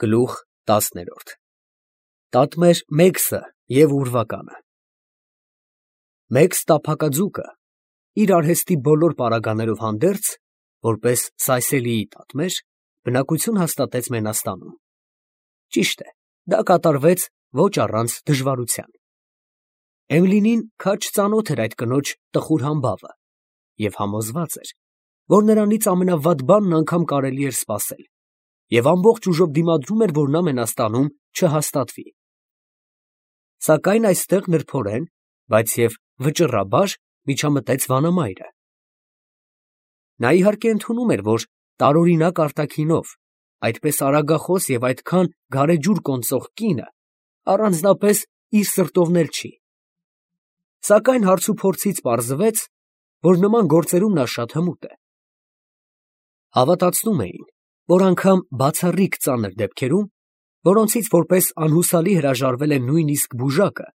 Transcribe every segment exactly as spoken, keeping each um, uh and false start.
Գլուխ տասներորդ Տատմեր Մեքսը և ուրվականը Մեքս տափակաձուկը իր արհեստի բոլոր պարագաներով հանդերձ, որպես Սայսելիի տատմեր, բնակություն հաստատեց Մենաստանում. ճիշտ է, դա կատարվեց ոչ առանց դժվարության. Էմլինին քաջ ծանոթ էր այդ կնոջ տխուր համբավը և համոզված էր, որ նրանից ամենավատ բանն անգամ կարելի էր սպասել, և ամբողջ ուժով դիմադրում էր, որ նա Մենաստանում չհաստատվի. Սակայն այստեղ նրբորեն, բայց և վճռաբար միջամտեց վանամայրը. նա իհարկե ընդունում էր, որ տարօրինակ արտաքինով, այդպես արագախոս և այդքան գարեջուր կոնծող կինը առանձնապես իր սրտովն էլ չի, սակայն հարցուփորձից պարզվեց, որ նման գործերում նա շատ հմուտ է. հավատացնում էին, որ անգամ բացառիկ ծանր դեպքերում, որոնցից որպես անհուսալի հրաժարվել է նույնիսկ բուժակը,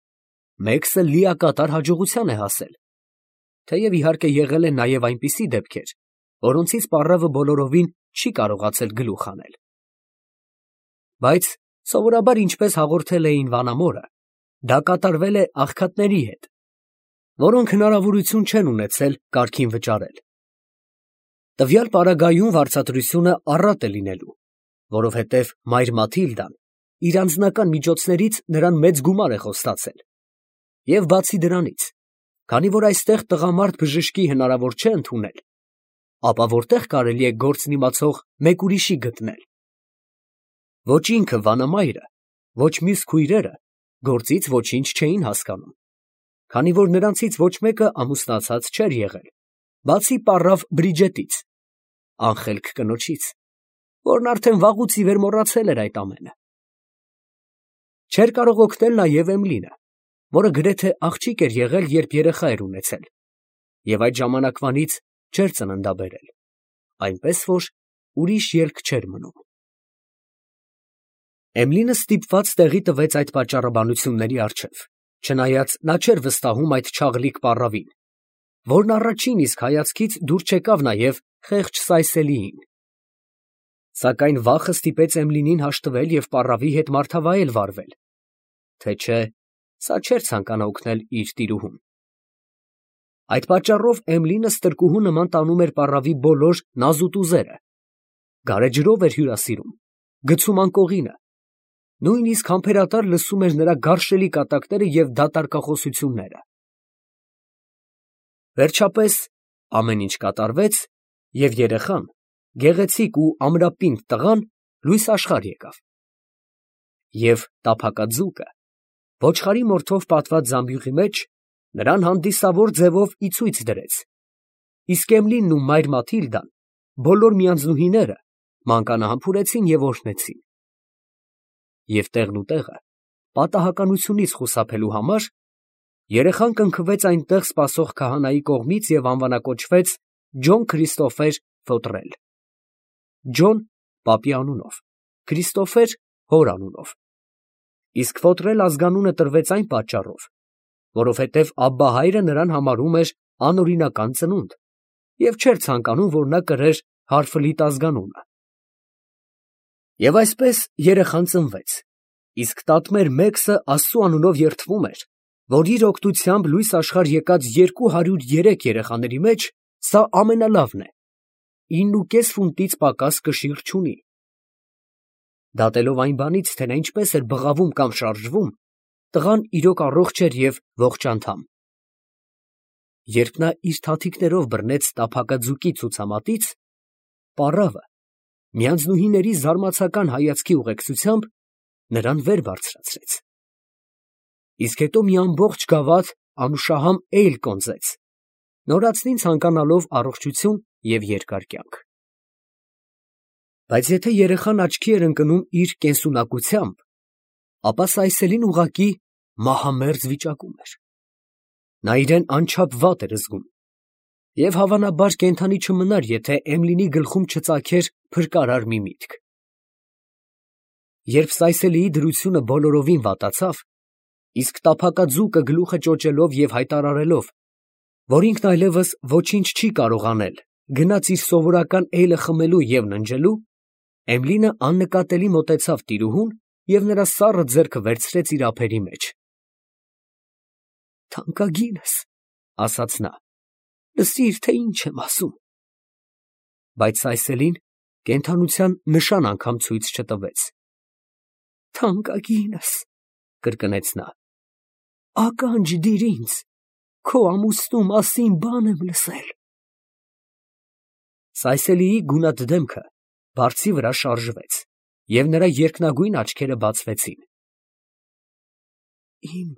Մեքսը լիակատար հաջողության է հասել, թեև իհարկե եղել են նաև այնպիսի դեպքեր, որոնցից պառավը բոլորովին չի կարողացել գլուխ հանել. բայց սովորաբար ինչպես հաղորդել էին վանամորը, դա կատարվել է աղքատների հետ, որոնք հնարավորություն չեն ունեցել կարգին վճարել. տվյալ պարագայում վարձատրությունը առատ է լինելու, որովհետև մայր Մաթիլդան իր անձնական միջոցներից նրան մեծ գումար է խոստացել, և բացի դրանից, քանի որ այստեղ տղամարդ բժշկի հնարավոր չէ ընդունել, ապա որտեղ կարելի է գործն իմացող մեկ ուրիշի գտնել. ոչ ինքը վանամայրը, ոչ մյուս քույրերը գործից ոչինչ չէին հասկանում, քանի որ նրանցից ոչ մեկը ամուսնացած չէր եղել, բացի պառավ Բրիջետից, անխելք կնոջից, որն արդեն վաղուց ի վեր մոռացել էր այդ ամենը. չէր կարող օգնել նաև Էմլինը, որը գրեթե աղջիկ էր եղել, երբ երեխա էր ունեցել, և այդ ժամանակվանից չէր ծննդաբերել, այնպես որ ուրիշ ելք չէր մնում. Էմլինը ստիպված տեղի տվեց այդ պատճառաբանությունների առջև, չնայած նա չէր վստահում այդ չաղլիկ պառավին, որն առաջին իսկ հայացքից դուր չեկավ նաև խեղճ Սայսելիին. սակայն վախը ստիպեց Էմլինին հաշտվել և պառավի հետ մարդավայել վարվել, թե չէ, սա չէր ցանկանա օգնել իր տիրուհուն. այդ պատճառով Էմլինը ստրկուհու նման տանում էր պառավի բոլոր նազուտուզերը, գարեջրով էր հյուրասիրում, գցում անկողինը, նույնիսկ համբերատար լսում էր նրա գարշելի կատակները և դատարկախոսությունները. վերջապես ամեն ինչ կատարվեց, և երեխան, գեղեցիկ ու ամրապինդ տղան, լույս աշխարհ եկավ, և տափակաձուկը, ոչխարի մորթով պատված զամբյուղի մեջ, նրան հանդիսավոր ձևով ի ցույց դրեց, իսկ Էմլինն ու մայր Մաթիլդան, բոլոր միանձնուհիները, մանկանահամբուրեցին և օրհնեցին. և տեղն ու տեղը պատահականությունից խուսափելու համար, երեխան կնքվեց այնտեղ սպասող քահանայի կողմից և անվանակոչվեց Ջոն Քրիստոֆեր Ֆոտրել. Ջոն պապի անունով, Քրիստոֆեր հոր անունով, իսկ Ֆոտրել ազգանունը տրվեց այն պատճառով, որովհետև աբբահայրը նրան համարում էր անօրինական ծնունդ և չէր ցանկանում, որ նա կրեր հարֆլիտ ազգանունը. և այսպես երեխան ծնվեց, իսկ տատմեր Մեքսը Աստծու անունով երդվում էր, որ իր օգնությամբ լույս աշխարհ եկած երկու հարյուր երեք երեխաների մեջ սա ամենալավն է, ինն ու կես ֆունտից պակաս կշիռ չունի. դատելով այն բանից, թե նա ինչպես էր բղավում կամ շարժվում, տղան իրոք առողջ էր և ողջանդամ. երբ նա իր թաթիկներով բռնեց տափակաձուկի ցուցամատից, պառավը միանձնուհիների զարմացական հայացքի ուղեկցությամբ նրան վեր բարձրացրեց, իսկ հետո մի ամբողջ գավաթ անուշահամ էյլ կոնծեց, նորածնին ցանկանալով առողջություն և երկար կյանք. բայց եթե երեխան աչքի էր ընկնում իր կենսունակությամբ, ապա Սայսելին ուղղակի մահամերձ վիճակում էր. նա իրեն անչափ վատ էր զգում, և հավանաբար կենդանի չմնար, եթե Էմլինի գլխում չծագեր փրկարար մի միտք. երբ Սայսելիի դրությունը բոլորովին վատացավ, իսկ տափակաձուկը գլուխը ճոճելով և հայտարարելով, որ ինքն այլևս ոչինչ չի կարող անել, գնաց իր սովորական էյլը խմելու և ննջելու, Էմլինը աննկատելի մոտեցավ տիրուհուն և նրա սառը ձեռքը վերցրեց իր ափերի մեջ։ «Թանկագինս, ֊ ասաց նա, ֊ լսիր, թե ինչ եմ ասում»։ Բայց Սայսելին կենդանության նշան անգամ ցույց չտվեց։ «Թանկագինս, ֊ կրկնեց նա, ֊ ականջ դիր ինձ, քո ամուսնու մասին բան եմ լսել»։ Սայսելիի գունատ դեմքը բարձի վրա շարժվեց, և նրա երկնագույն աչքերը բացվեցին։ «Իմ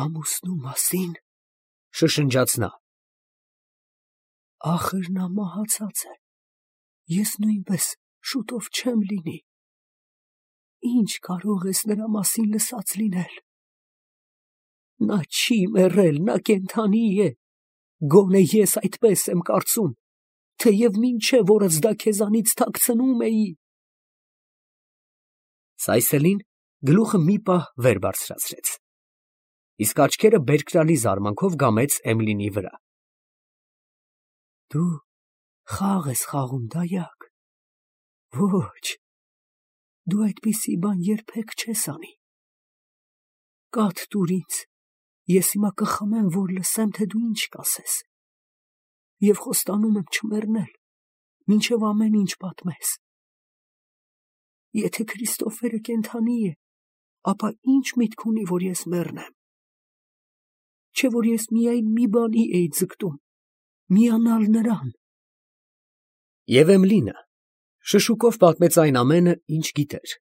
ամուսնու մասին, ֊ շշնջաց նա, ֊ ախր նա մահացած է, ես նույնպես շուտով չեմ լինի, ի՞նչ կարող ես նրա մասին լսած լինել։ Նա չի մեռել, նա կենդանի է, գոնե ես այդպես եմ կարծում, թեև մինչև օրս դա քեզանից թաքցնում էի»։ Սայսելին գլուխը մի պահ վեր բարձրացրեց, իսկ աչքերը բերկրալի զարմանքով կամեց Էմլինի վրա։ «Դու խաղ ես խաղում, դայակ, ոչ, դու այդպիսի բան երբեք չես անի։ Կաթ տուր ինձ, ես հիմա կխմեմ, որ լսեմ, թե դու ինչ կասես, և խոստանում եմ չմեռնել, մինչև ամեն ինչ պատմես։ Եթե Քրիստոֆերը կենդանի է, ապա ի՞նչ միտք ունի, որ ես մեռնեմ։ Չէ՞ որ ես միայն մի բանի էի ձգտում, միանալ նրան»։ Եվ Էմլինը շշուկով պատմեց այն ամենը, ինչ գիտեր.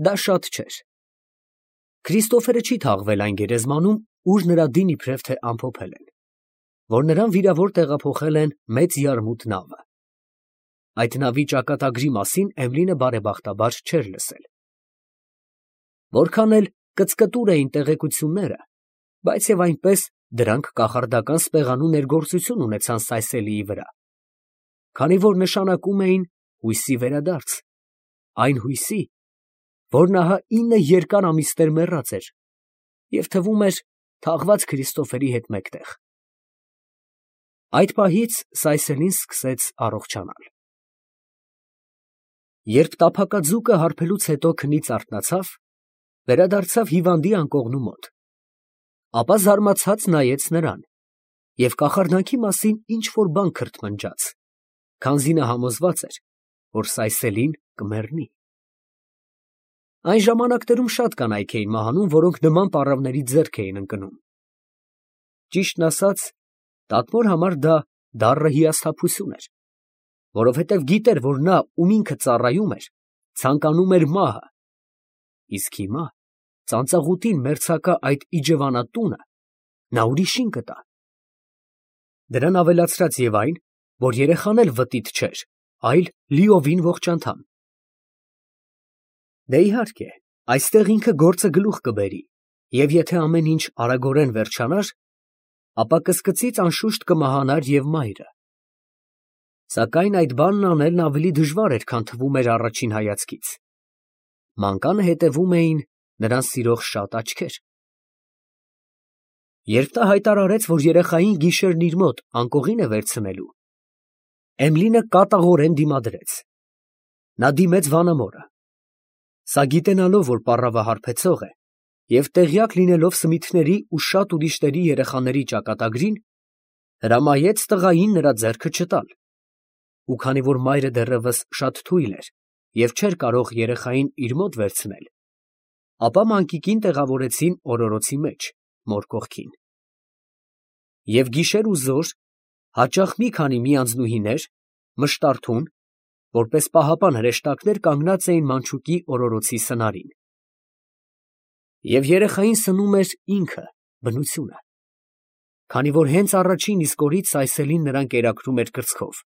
դա շատ չէր։ Քրիստոֆերը չի թաղվել այն գերեզմանում, ուր նրա դին իբրև թե ամփոփել են, որ նրան վիրավոր տեղափոխել են մեծ յարմուտ նավը։ Այդ նավի ճակատագրի մասին Էմլինը բարեբախտաբար չէր լսել։ Որքան էլ կծկտուր էին տեղեկությունները, բայց և այնպես դրանք կախարդական սպեղանու ներգործություն ունեցան Սայսելիի վրա, քանի որ նշանակում էին հույսի վերադարձ, այն հույսի, որն ահա ինը երկար ամիսներ մեռած էր և թվում էր թաղված Քրիստոֆերի հետ մեկտեղ։ Այդ պահից Սայսելին սկսեց առողջանալ։ Երբ տափակաձուկը հարբելուց հետո քնից արթնացավ, վերադարձավ հիվանդի անկողնու մոտ, ապա զարմացած նայեց նրան և կախարդանքի մասին ինչ֊որ բան քրթմնջաց, քանզի նա համոզված էր, որ Սայսելին կմեռնի։ Այն ժամանակներում շատ կանայք էին մահանում, որոնք նման պառավների ձեռք էին ընկնում։ Ճիշտն ասած, տատմոր համար դա դառը հիասթափություն էր, որովհետև գիտեր, որ նա, ում ինքը ծառայում էր, ցանկանում էր մահը, իսկ հիմա ծանծաղուտին մերձակա այդ իջևանատունը նա ուրիշին կտա։ Դրան ավելացրած և այն, որ երեխան էլ վտիտ չէր, այլ լիովին ողջ անդամ։ Դե, իհարկե, այստեղ ինքը գործը գլուխ կբերի, և եթե ամեն ինչ արագորեն վերջանար, ապա կսկծից անշուշտ կմահանար և մայրը։ Սակայն այդ բանն անելն ավելի դժվար էր, քան թվում էր առաջին հայացքից։ Մանկանը հետևում էին նրան սիրող շատ աչքեր։ Երբ նա հայտարարեց, որ երեխային գիշերն իր մոտ անկողին է վերցնելու, Էմլինը կատաղորեն դիմադրեց։ Նա դիմեց վանամորը։ Սա գիտենալով, որ պառավը հարբեցող է, և տեղյակ լինելով Սմիթների ու շատ ուրիշների երեխաների ճակատագրին, հրամայեց տղային նրա ձեռքը չտալ, ու քանի որ մայրը դեռևս շատ թույլ էր և չէր կարող երեխային իր մոտ վերցնել, ապա մանկիկին տեղավորեցին օրորոցի մեջ, մոր կողքին։ Եվ գիշեր ու զօր հաճախ մի քանի միանձնուհիներ, մշտարթուն, որպես պահապան հրեշտակներ կանգնած էին մանչուկի օրորոցի սնարին։ Եվ երեխային սնում էր ինքը, բնությունը, քանի որ հենց առաջին իսկ օրից Սայսելին նրան կերակրում էր կրծքով,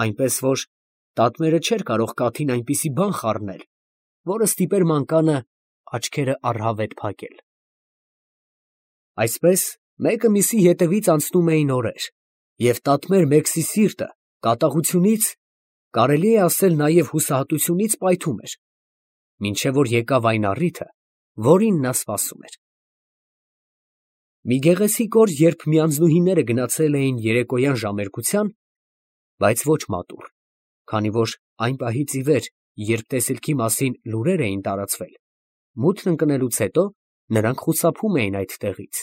այնպես որ տատմերը չէր կարող կաթին այնպիսի բան խառնել, որը ստիպեր մանկանը աչքերը առհավետ փակել։ Այսպես մեկը մյուսի հետևից անցնում էին օրեր, և տատմեր Մեքսի սիրտը կատաղությունից, կարելի է ասել նաև հուսահատությունից պայթում էր, մինչև որ եկավ այն առիթը, որին նա սպասում էր։ Մի գեղեցիկ օր, երբ միանձնուհիները գնացել էին երեկոյան ժամերգության, բայց ոչ մատուռ, քանի որ այն պահից ի վեր երբ տեսիլքի մասին լուրեր էին տարածվել, մութն ընկնելուց հետո նրանք խուսափում էին այդ տեղից։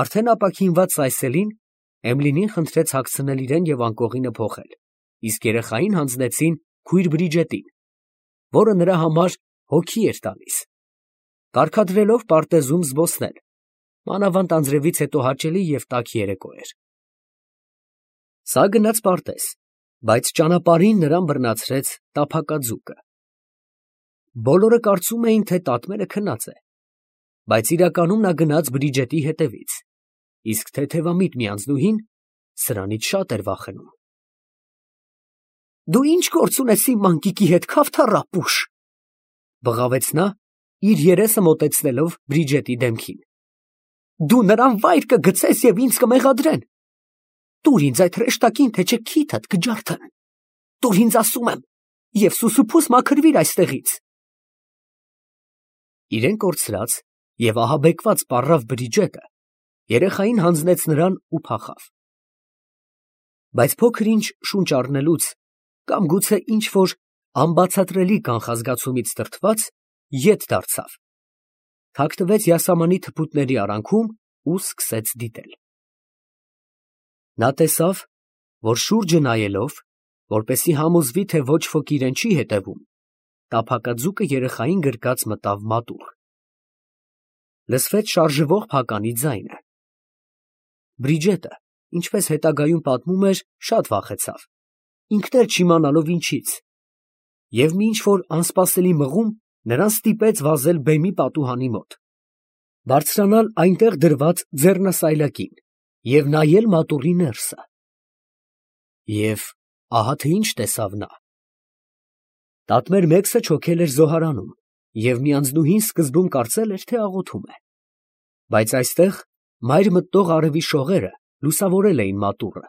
Արդեն ապաքինված ծայսելին Էմլինին խնդրեց հագցնել իրեն և անկողինը փոխել, իսկ երեխային հանձնեցին քույր Բրիջետին, որը նրա համար հոգի էր տալիս, կարգադրելով պարտեզում զբոսնել, մանավանդ անձրևից հետո հաճելի և տաք երեկո էր։ Սա գնաց պարտեզ, բայց ճանապարհին նրան բռնացրեց տափակաձուկը։ Բոլորը կարծում էին, թե տատմերը քնած է, բայց իրականում նա գնաց Բրիջետի հետևից, իսկ թեթևամիտ մի անձնուհին սրանից շատ էր վախենում։ «Դու ի՞նչ գործ ունես իմ մանկիկի հետ, քավթառապուշ», բղավեց նա, իր երեսը մոտեցնելով Բրիջետի դեմքին։ «Դու նրան վայր կգցես և ինձ կմեղադրեն։ Տուր ինձ այդ հրեշտակին, թե չէ քիթդ կջարդեն։ Տուր ինձ, ասում եմ, և սուսուփուս մաքրվիր այստեղից»։ Իրեն կորցրած և ահաբեկված պառավ Բրիջետը երեխային հանձնեց նրան ու փախավ։ Բայց փոքր ինչ շունչ առնելուց կամ գուցե ինչ-որ անբացատրելի կանխազգացումից դրդված ետ դարձավ, թաքնվեց յասամանի թփուտների արանքում ու սկսեց դիտել։ Նա տեսավ, որ շուրջը նայելով, որպեսզի համոզվի, թե ոչ ոք իրեն չի հետևում, տափակաձուկը երեխային գրկած մտավ մատուռ։ Լսվեց շարժվող փականի ձայնը։ Բրիջետը, ինչպես հետագայում պատմում էր, շատ վախեցավ, ինքն էլ չիմանալով ինչից, և մի ինչ֊որ անսպասելի մղում նրան ստիպեց վազել բեմի պատուհանի մոտ, բարձրանալ այնտեղ դրված ձեռնասայլակին և նայել մատուռի ներսը։ Եվ ահա թե ինչ տեսավ նա. տատմեր մեկսը չոքել էր զոհարանում, և մի անձնուհին սկզբում կարծել էր, թե աղոթում է, բայց այստեղ մայր մտնող արևի շողերը լուսավորել էին մատուռը,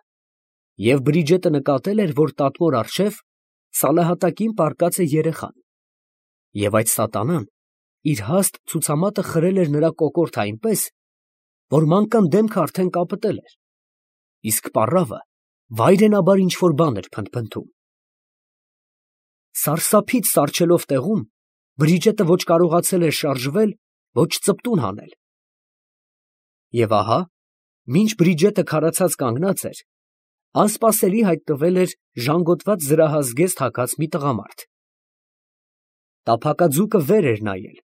և Բրիջետը նկատել էր, որ տատմոր առջև սալահատակին պառկած է երեխան, և այդ սատանան իր հաստ ցուցամատը խրել էր նրա կոկորդը այնպես, որ մանկան դեմքը արդեն կապտել էր, իսկ պառավը վայրենաբար ինչ֊որ բան էր փնթփնթում։ Սարսափից սառչելով տեղում, Բրիջետը ոչ կարողացել էր շարժվել, ոչ ծպտուն հանել։ Եվ ահա, մինչ Բրիջետը քարացած կանգնած էր, անսպասելի հայտնվել էր ժանգոտված զրահազգեստ հագած մի տղամարդ։ Տափակաձուկը վեր էր նայել,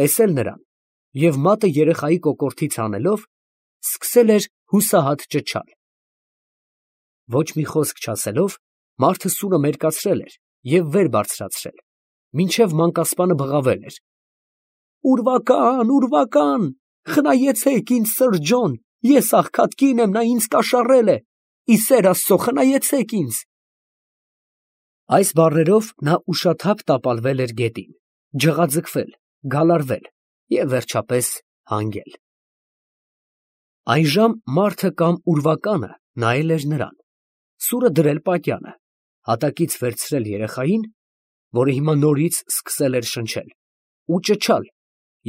տեսել նրան և մատը երեխայի կոկորդից հանելով, սկսել էր հուսահատ ճչալ։ Ոչ մի խոսք չասելով, մարդը սուրը մերկացրել էր և վեր բարձրացրել, մինչև մանկասպանը բղավել էր. «Ուրվական, ուրվական, խնայեցեք ինձ, սըր Ջոն, ես աղքատ կին եմ, նա ինձ կաշառել է, ի սեր Աստծո, խնայեցեք ինձ»։ Այս բառերով նա ուշաթափ տապալվել էր գետին, ջղաձգվել, գալարվել և վերջապես հանգել։ Այժմ մարդը կամ ուրվականը նայել էր նրան, սուրը դրել պատյանը, հատակից վերցրել երեխային, որը հիմա նորից սկսել էր շնչել, ու ճչալ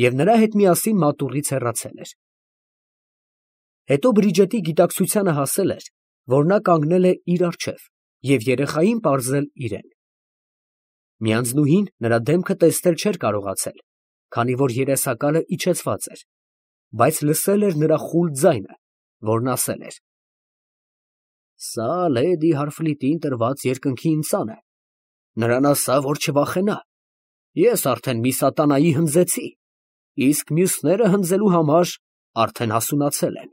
և նրա հետ միասին մատուռից հեռացել էր։ Հետո Բրիջետի գիտակցությանը հասել էր, որ նա կանգնել է իր առջև և երեխային պարզել իրեն։ Մի անձնուհին նրա դեմքը տեսնել չէր կարողացել, քանի որ երեսակալը իջեցված էր, բայց լսել էր նրա խուլ ձայնը, որն ասել էր. «Սա լեդի Հարֆլիտին տրված երկնքի ինձան է, նրան ասա, որ չվախենա, ես արդեն մի սատանայի հնձեցի, իսկ մյուսները հնձելու համար արդեն հասունացել են»։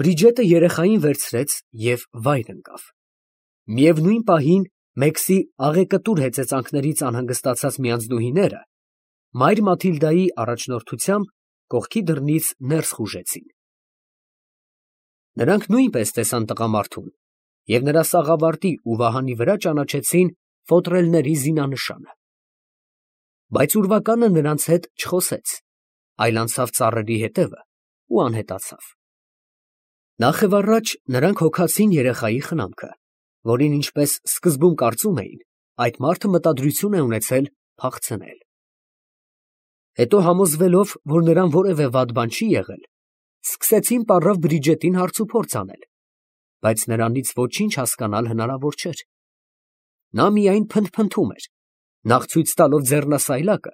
Բրիջետը երեխային վերցրեց և վայր ընկավ։ Միևնույն պահին Մեքսի աղեկտուր հեծեծանքներից անհանգստացած մի անձնուհիները մայր Մաթիլդայի առաջնորդությամբ կողքի դռնից ներս խուժեցին։ Նրանք նույնպես տեսան տղամարդուն և նրա սաղավարտի ու վահանի վրա ճանաչեցին ֆոտրելների զինանշանը։ Բայց ուրվականը նրանց հետ չխոսեց, այլ անցավ ծառերի հետևը ու անհետացավ։ Նախևառաջ նրանք հոգացին երեխայի խնամքը, որին, ինչպես սկզբում կարծում էին, այդ մարդը մտադրություն է ունեցել փախցնել։ Հետո համոզվելով, որ նրան որևէ վատ բան չի եղել, սկսեցին պառավ Բրիջետին հարցուփորձ անել, բայց նրանից ոչինչ հասկանալ հնարավոր չէր։ Նա միայն փնթփնթում էր, նախ ցույց տալով ձեռնասայլակը,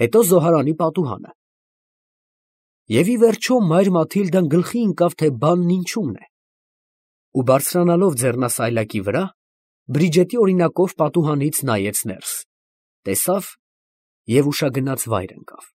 հետո զոհարանի պատուհանը։ Եվ ի վերջո մայր Մաթիլդան գլխի ընկավ, թե բանն ինչումն է, ու բարձրանալով ձեռնասայլակի վրա, Բրիջետի օրինակով պատուհանից նայեց ներս, տեսավ և ուշագնաց վայր ընկավ։